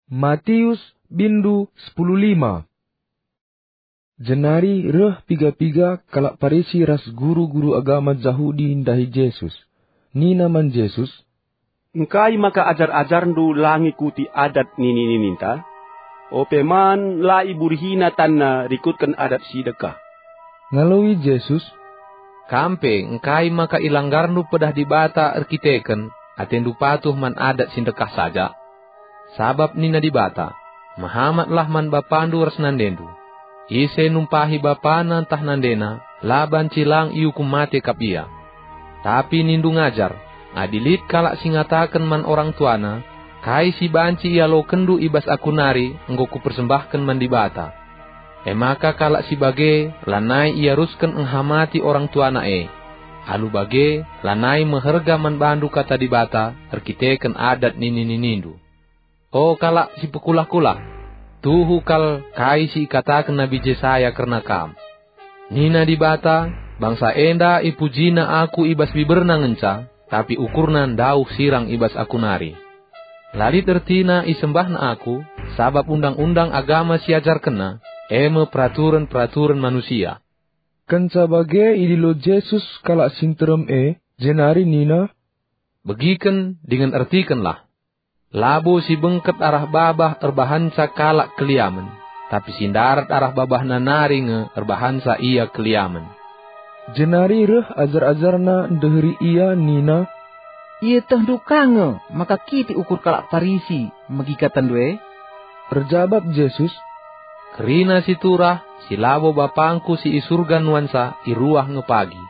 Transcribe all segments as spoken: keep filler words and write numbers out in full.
Matius bindu sepuluh lima. Jenari reh piga-piga kalak Parisi ras guru-guru agama Jahudi ndahi Jesus. Nina man Jesus, "Engkai maka ajar-ajarNdu la ngikuti adat nini-nininta? Ope man la iburihina tanna rikutken adat si dekah." Ngaloi Jesus, "Kam pe engkai maka ilanggarndu pedah Dibata erkiteken atendu patuh man adat si ndekah saja? Sabap nina Dibata, 'Mehamatlah man bapandu ras nandendu.' Ise numpahi bapana ntah nandena, la banci lang iukum mate kap ia." Tapi nindu ngajar, "Adi lit kalak si ngataken man orang tuana, 'Kai si banci ialokenndu i bas aku nari enggo kupersembahken man Dibata.' E maka kalak si bage lanai iarusken ngehamati orang tuana e. Alu bage, lanai meherga man bandu kata Dibata erkiteken adat nini-ninindu. O kalak si pekulah-kulah, tuhu kal kai si ikataken Nabi Jesaya kerna kam. Nina Dibata, 'Bangsa enda ipujina Aku i bas biberna ngenca, tapi ukurna ndauh sirang i bas Aku nari. La lit ertina isembahna Aku, sabap undang-undang agama si ajarkenna, e me peraturen-peraturen manusia.'" Kenca bage idilo Jesus kalak si nterem e, jenari nina, "Begiken dingen ertikenlah! Labo si bengket arah babah erbahanca kalak keliamen, tapi si ndarat arah babahna nari nge erbahanca ia keliamen." Jenari reh ajar-ajarNa ndeheri Ia nina, "Ietehndu ka nge maka kitik ukur kalak Parisi megi katandu e?" Erjabap Jesus, "Kerina si turah si labo BapangKu si i Surga nuansa iruah nge pagi.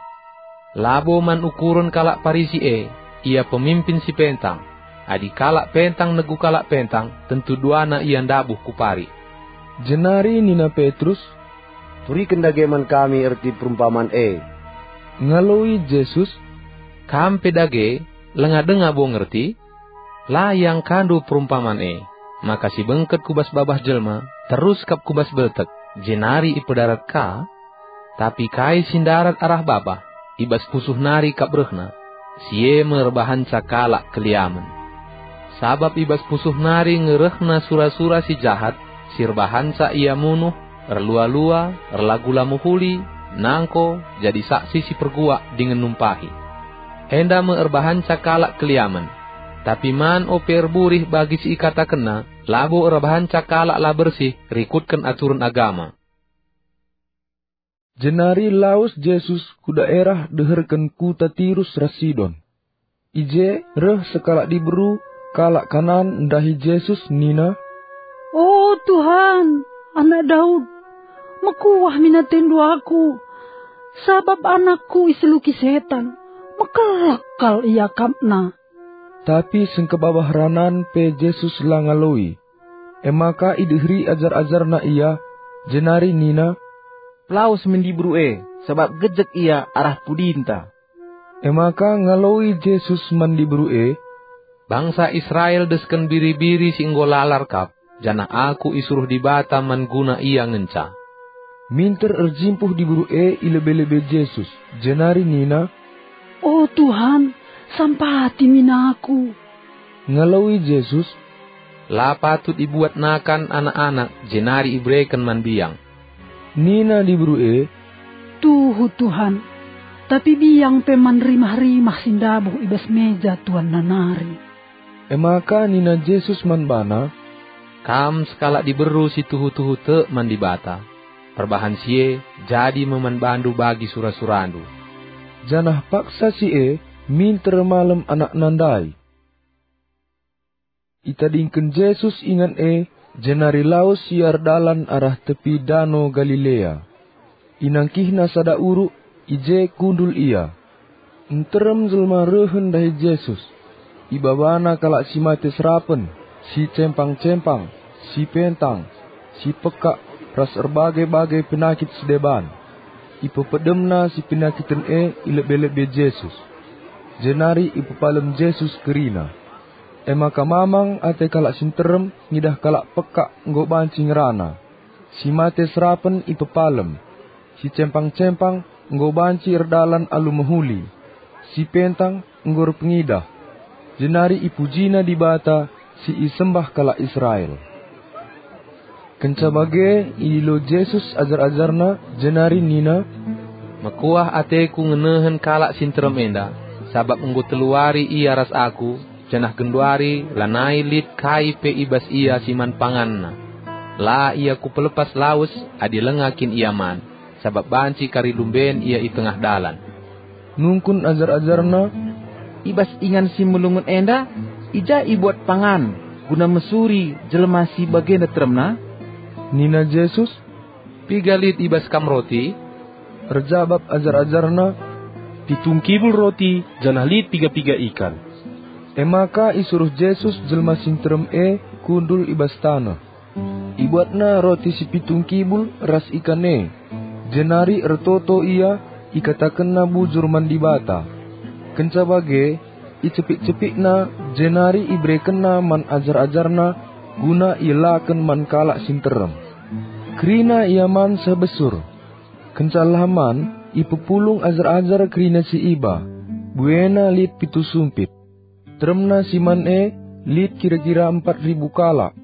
Labo man ukuren kalak Parisi e, ia pemimpin si pentang. Adi kalak pentang negu kalak pentang, tentu duana ia ndabuh ku parik." Jenari nina Petrus, "Turiken dage man kami erti perumpaman e." Ngaloi Jesus, "Kam pe dage, langa denga bo ngerti? La iangkandu perumpaman e, maka si bengket ku bas babah jelma, terus kap ku bas beltek, jenari ipedarat ka? Tapi kai si ndarat arah babah, i bas pusuh nari kap rehna, si e me erbahanca kalak keliamen. Sabap i bas pusuh nari nge rehna sura-sura si jahat, si erbahanca ia munuh, erlua-lua, erlagu la mehuli, nangko, jadi saksi si perguak dingen numpahi. Enda me erbahanca kalak keliamen. Tapi man ope erburih bagi si ikatakenna, labo erbahanca kalak la bersih rikutken aturen agama." Jenari lawes Jesus ku daerah deherken kuta Tirus ras Sidon. I je reh sekalak diberu, kalak Kanaan, ndahi Jesus nina, "O Tuhan, Anak Daud, mekuah min atendu aku, sabap anakku iseluki setan, mekelak kal iakapna." Tapi sengkebabah ranan pe Jesus la ngaloi. E maka ideheri ajar-ajarNa Ia, jenari nina, "Pelawes min diberu e, sabap gejek ia arah pudinta." E maka ngaloi Jesus man diberu e, "Bangsa Israel desken biri-biri si enggo lalar kap, janah Aku isuruh Dibata man guna ia ngenca." Minter erjimpuh diberu e i lebe-lebe Jesus, jenari nina, "O Tuhan, sampati min aku." Ngaloi Jesus, "La patut ibuat nakan anak-anak jenari ibereken man biang." Nina diberu e, "Tuhu, Tuhan, tapi biang pe man rimah-rimah si ndabuh i bas meja tuanna nari." E maka nina Jesus man bana, "Kam sekalak diberu si tuhu-tuhu tek man Dibata. Perbahan si e, jadi me man bandu bagi sura-surandu." Janah paksa si e minter malem anakna ndai. Itadingken Jesus ingan e, jenari lawes ia erdalan arah tepi Dano Galilea. Inangkihna sada uruk, i je kundul ia. Nterem jelma rehen ndahi Jesus. Ibabana kalak si mate serapen, si cempang-cempang, si pentang, si pekak, ras erbage-bage penakit si deban. Ipepedemna si penakiten e i lebe-lebe Jesus, jenari ipepalem Jesus kerina. E maka mamang ate kalak si nterem ngidah kalak pekak enggo banci ngerana. Si mate serapen ipepalem, si cempang-cempang enggo banci erdalan alu mehuli, si pentang enggo erpengidah, jenari ipujina Dibata si isembah kalak Israel. Kenca bage idilo Jesus ajar-ajarNa, jenari nina, "Mekuah ateKu ngenehen kalak si nterem enda, sabap enggo telu wari ia ras Aku, janah genduari lanai lit kai pe i bas ia si man panganna. La ia Kupelepas lawes adi langa kin ia man, sabap banci kari lumben ia i tengah dalan." Nungkun ajar-ajarNa, "I bas ingan si melungun enda, i ja ibuat pangan guna mesuri jelma si bagenda teremna?" Nina Jesus, "Piga lit i bas kam roti?" Erjabap ajar-ajarNa, "Pitu ngkibul roti janah lit piga-piga ikan." E maka isuruh Jesus jelma si nterem e kundul i bas taneh. Ibuatna roti si pitu ngkibul ras ikan e, jenari ertoto ia, ikatakenna bujur man Dibata. Kenca bage, icepik-cepikna, jenari iberekenna man ajar-ajarNa guna ielaken man kalak si nterem. Kerina ia man seh besur. Kenca la man, ipepulung ajar-ajar kerina si iba, buena lit pitu sumpit. Teremna si man e lit kira-kira empat ribu kalak,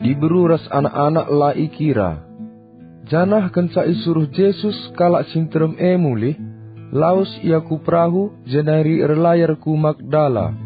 diberu ras anak-anak la ikira. Janah kenca isuruh Jesus kalak si nterem e mulih, lawes ia ku perahu jenari erlayar ku Magdala.